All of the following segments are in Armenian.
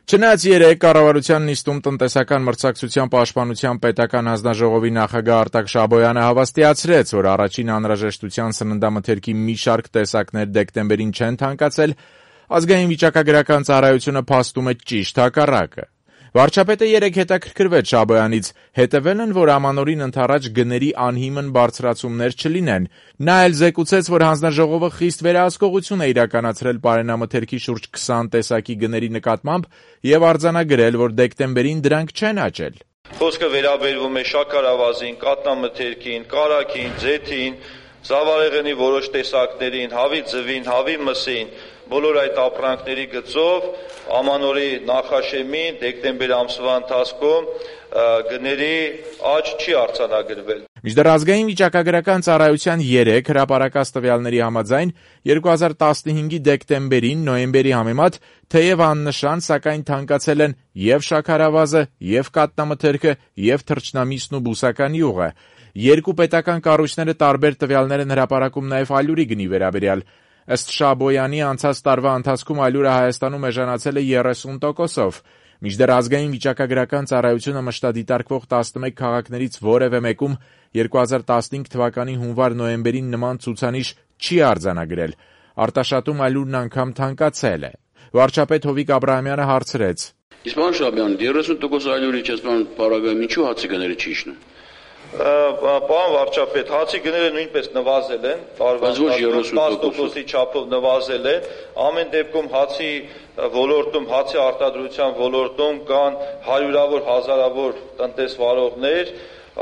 Չնայած երեկ կառավարության նիստում տնտեսական մրցակցության պաշտպանության պետական հանձնաժողովի նախագահ Արտակ Շաբոյանը հավաստիացրեց, որ առաջին անհրաժեշտության սննդամթերքի մի շարք տեսակներ դեկտեմբերին չեն թանկացել, ազգային վիճակագրական ծառայությունը փաստում է ճիշտ հակառակը։ Վարչապետը երեկ հետաքրքրվեց Շաբոյանից, հետևել են, որ ամանորին ընդառաջ գների անհիմն բարձրացումներ չլինեն։ Նա էլ զեկուցեց, որ հանձնաժողովը խիստ վերահսկողություն է իրականացրել պարենամթերքի շուրջ 20 տեսակի գների նկատմամբ եւ արձանագրել, որ դեկտեմբերին դրանք չեն աճել։ Խոսքը վերաբերվում է շաքարավազին, կատնամթերքին, կարագին, ձեթին, զավարեղենի որոշ տեսակներին, հավի ձվին, հավի մսին, բոլոր այդ ապրանքների գծով ամանորի նախաշեմին դեկտեմբեր ամսվա ընթացքում գների աճ չի արձանագրվել։ Մինչդեռ ազգային վիճակագրական ծառայության 3 հրապարակած տվյալների համաձայն 2015-ի դեկտեմբերին նոյեմբերի համեմատ թեև աննշան, սակայն թանկացել են եւ շաքարավազը, եւ կատնամթերքը, եւ թռչնամիսն ու բուսական յուղը։ Երկու պետական կառույցները տարբեր տվյալներ են հրապարակում նաեւ ալյուրի գնի վերաբերյալ։ Ըստ Շաբոյանի անցած տարվա ընթացքում ալյուրը Հայաստանում էժանացել է 30%-ով։ Մինչդեռ ազգային վիճակագրական ծառայությունը մշտադիտարկվող 11 քաղաքներից որևէ մեկում 2015 թվականի հունվար-նոյեմբերին նման ցուցանիշ չի արձանագրել։ Արտաշատում ալյուրն անգամ թանկացել է։ Վարչապետ Հովիկ Աբրահամյանը հարցրեց. Իսկ պարոն Շաբոյան, 30% ալյուրի չեսման պարագայում ինչու հացի գները չի իջնում։ Պարոն վարչապետ, հացի գները նույնպես նվազել են, տարվա 10%-ի չափով նվազել են։ Ամեն դեպքում հացի ոլորտում, հացի արտադրության ոլորտում կան հարյուրավոր, հազարավոր տնտեսվարողներ,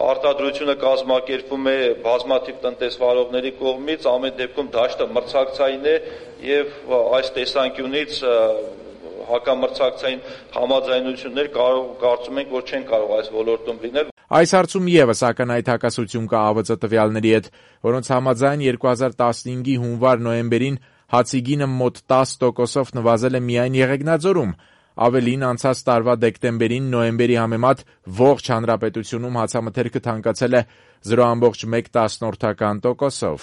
արտադրությունը կազմակերպվում է բազմաթիվ տնտեսվարողների կողմից, ամեն դեպքում դաշտը մրցակցային է եւ այս տեսանկյունից հակամրցակցային համաձայնություններ կարծում ենք, որ չեն կարող այս ոլորտում լինել։ Այս հարցում եւս ակնհայտ հակասություն կա ԱՎԾ տվյալների հետ, որոնց համաձայն 2015-ի հունվար-նոյեմբերին հացի գինը մոտ 10%-ով նվազել է միայն Եղեգնաձորում։ Ավելին, անցած տարվա դեկտեմբերին նոյեմբերի համեմատ ողջ հանրապետությունում հացամթերքը թանկացել է 0.1%-ով։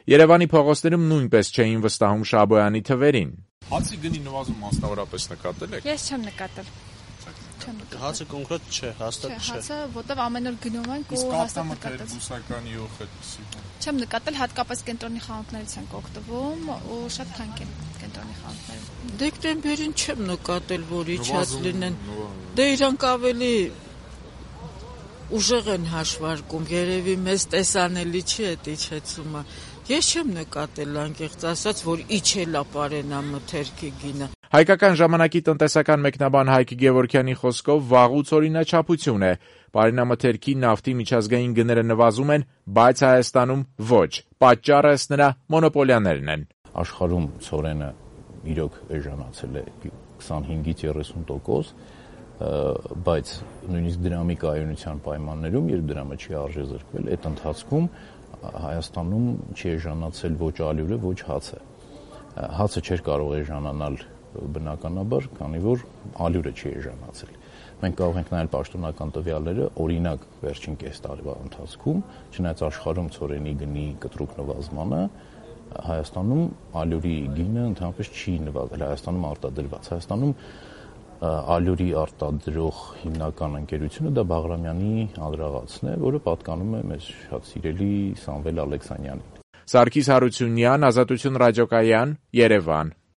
Երևանի փողոցներում նույնպես չէին վստահում Շաբոյանի թվերին։ Հացի գնի նվազում մասնավորապես նկատել եք։ Ես չեմ նկատել։ Հացը կոնկրետ չէ, հաստատ չէ։ Հացը որտեվ ամեն օր գնում ենք ու հաստատ նկատել։ Բուսական յուղ այդպեսի։ Չեմ նկատել, հատկապես կենտրոնի խանութներից ենք օգտվում ու շատ թանկ են կենտրոնի խանութները։ Դեկտեմբերին չեմ նկատել, որ իջած լինեն։ Դե իրանք ավելի ուժեղ են հաշվարկում, երևի մեզ տեսանելի չի այդ իջեցումը։ Ես չեմ նկատել անկեղծ ասած, որ իջել է պարենամթերքի գինը։ Հայկական ժամանակի տնտեսական մեկնաբան Հայկ Գևորգյանի խոսքով վաղուց օրինաչափություն է։ Պարենամթերքի, նավթի միջազգային գները նվազում են, բայց Հայաստանում ոչ։ Պատճառը ըստ նրա մոնոպոլիաներն են։ Աշխարհում ցորենը իրոք էժանացել է 25-ից 30%, բայց նույնիսկ դրամի կայունության պայմաններում, երբ դրամը չի արժեզրկվել, այդ ընթացքում Հայաստանում չի էժանացել ոչ ալյուրը, ոչ հացը։ Հացը չէր կարող էժանանալ բնականաբար, քանի որ ալյուրը չի էժանացել։ Մենք կարող ենք նայել պաշտոնական տվյալները, օրինակ վերջին կես տարվա ընթացքում, չնայած աշխարհում ցորենի գնի կտրուկ նվազմանը, Հայաստանում ալյուրի գինը ընդհանրապես չի նվազել, Հայաստանում արտադրված։ Հայաստանում ալյուրի արտադրող հիմնական ընկերությունը դա Բաղրամյանի անդրաղացն է, որը պատկանում է մեզ շատ սիրելի Սամվել Ալեքսանյանին։ Սարգիս Հարությունյան, Ազատություն ռադիոկայան, Երևան։